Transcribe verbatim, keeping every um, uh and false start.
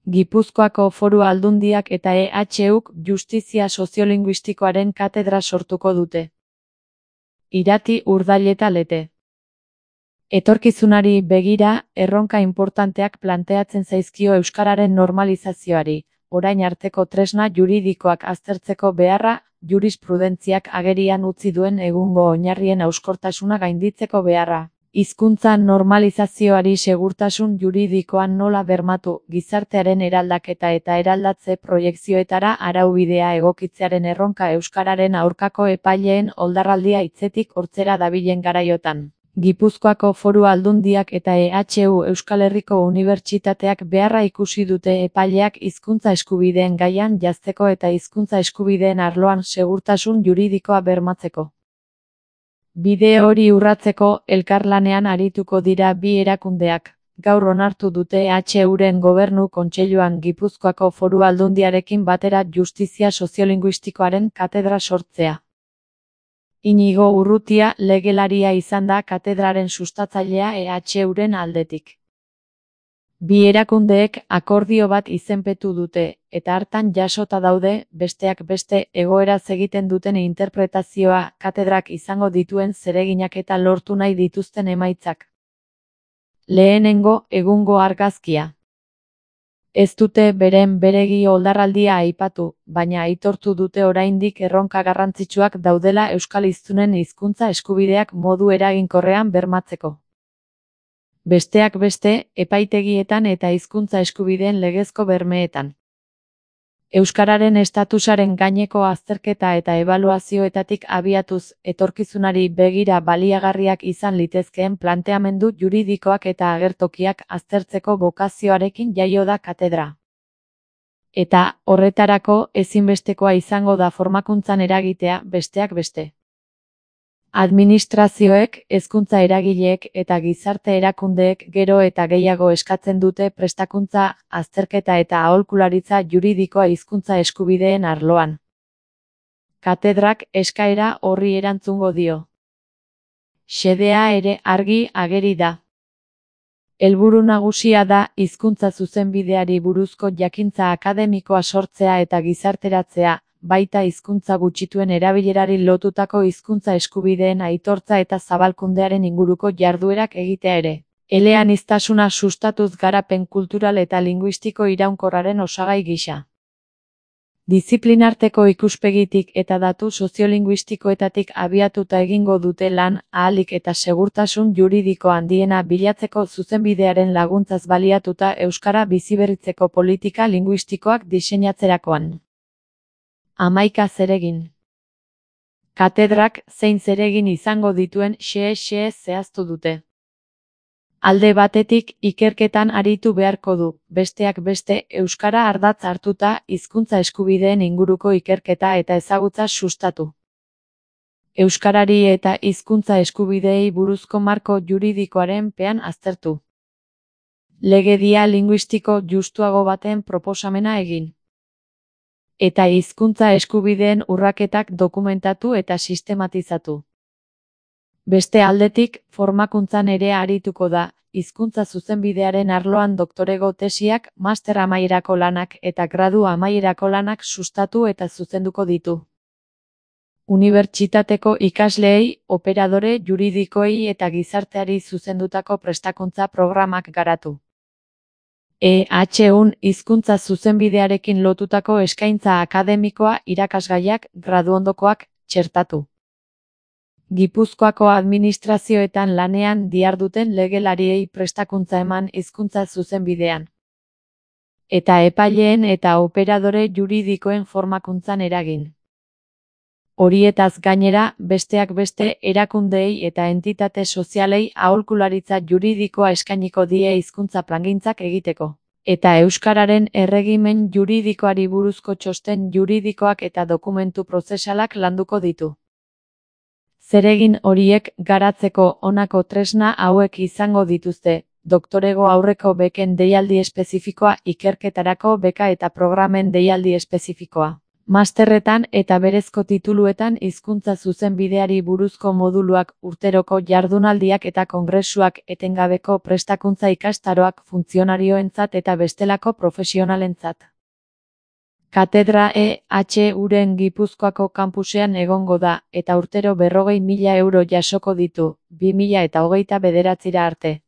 Gipuzkoako Foru Aldundiak eta E H Uk Justizia Soziolinguistikoaren katedra sortuko dute. Irati, Urdaileta Lete. Etorkizunari begira, erronka inportanteak planteatzen zaizkio euskararen normalizazioari, orain arteko tresna juridikoak aztertzeko beharra, jurisprudentziak agerian utzi duen egungo oinarrien hauskortasuna gainditzeko beharra. Hizkuntza normalizazioari segurtasun juridikoan nola bermatu, gizartearen eraldaketa eta eraldatze proiekzioetara araubidea egokitzearen erronka euskararen aurkako epaileen oldarraldia hitzetik hortzera dabilen garaiotan. Gipuzkoako Foru Aldundiak eta E H U Euskal Herriko Unibertsitateak beharra ikusi dute epaileak hizkuntza eskubideen gaian jazteko eta hizkuntza eskubideen arloan segurtasun juridikoa bermatzeko. Bide hori urratzeko elkarlanean arituko dira bi erakundeak. Gaur onartu dute E H Uren Gobernu Kontseiluan Gipuzkoako Foru Aldundiarekin batera Justizia Soziolinguistikoaren katedra sortzea. Inigo Urrutia legelaria izan da katedraren sustatzailea E H Uren aldetik. Bi erakundeek akordio bat izenpetu dute, eta hartan jasota daude, besteak beste, egoeraz egiten duten interpretazioa, katedrak izango dituen zereginak eta lortu nahi dituzten emaitzak. Lehenengo, egungo argazkia. Ez dute beren beregi oldarraldia aipatu, baina aitortu dute oraindik erronka garrantzitsuak daudela euskal hiztunen hizkuntza eskubideak modu eraginkorrean bermatzeko. Besteak beste, epaitegietan eta hizkuntza eskubideen legezko bermeetan. Euskararen estatusaren gaineko azterketa eta ebaluazioetatik abiatuz, etorkizunari begira baliagarriak izan litezkeen planteamendu juridikoak eta agertokiak aztertzeko bokazioarekin jaio da katedra. Eta, horretarako, ezinbestekoa izango da formakuntzan eragitea, besteak beste. Administrazioek, hezkuntza eragileek eta gizarte erakundeek gero eta gehiago eskatzen dute prestakuntza, azterketa eta aholkularitza juridikoa hizkuntza eskubideen arloan. Katedrak eskaera horri erantzungo dio. Xedea ere argi ageri da. Helburu nagusia da hizkuntza zuzenbideari buruzko jakintza akademikoa sortzea eta gizarteratzea, baita hizkuntza gutxituen erabilerari lotutako hizkuntza eskubideen aitortza eta zabalkundearen inguruko jarduerak egitea ere. Eleaniztasuna sustatuz garapen kultural eta linguistiko iraunkorraren osagai gisa. Diziplinarteko ikuspegitik eta datu soziolinguistikoetatik abiatuta egingo dute lan, ahalik eta segurtasun juridiko handiena bilatzeko zuzenbidearen laguntzaz baliatuta euskara biziberritzeko politika linguistikoak diseinatzerakoan. Hamaika zeregin. Katedrak zein zeregin izango dituen xe-xe zehaztu dute. Alde batetik ikerketan aritu beharko du, besteak beste euskara ardatz hartuta hizkuntza eskubideen inguruko ikerketa eta ezagutza sustatu. Euskarari eta hizkuntza eskubideei buruzko marko juridikoaren pean aztertu. Legedia linguistiko justuago baten proposamena egin. Eta hizkuntza eskubideen urraketak dokumentatu eta sistematizatu. Beste aldetik, formakuntzan ere arituko da, hizkuntza zuzenbidearen arloan doktorego tesiak, master amaierako lanak eta gradu amaierako lanak sustatu eta zuzenduko ditu. Unibertsitateko ikasleei, operadore juridikoei eta gizarteari zuzendutako prestakuntza programak garatu. E H Un hizkuntza zuzenbidearekin lotutako eskaintza akademikoa irakasgaiak, graduondokoak, txertatu. Gipuzkoako administrazioetan lanean diharduten legelariei prestakuntza eman hizkuntza zuzenbidean. Eta epaileen eta operadore juridikoen formakuntzan eragin. Horietaz gainera, besteak beste erakundeei eta entitate sozialei aholkularitza juridikoa eskainiko die hizkuntza plangintzak egiteko. Eta euskararen erregimen juridikoari buruzko txosten juridikoak eta dokumentu prozesalak landuko ditu. Zeregin horiek garatzeko honako tresna hauek izango dituzte, doktorego aurreko beken deialdi espezifikoa, ikerketarako beka eta programen deialdi espezifikoa. Masterretan eta berezko tituluetan hizkuntza zuzenbideari buruzko moduluak, urteroko jardunaldiak eta kongresuak, etengabeko prestakuntza ikastaroak funtzionarioentzat eta bestelako profesionalentzat. Katedra E H Uren Gipuzkoako kanpusean egongo da, eta urtero berrogei mila euro jasoko ditu, bi mila eta hogeita bederatzira arte.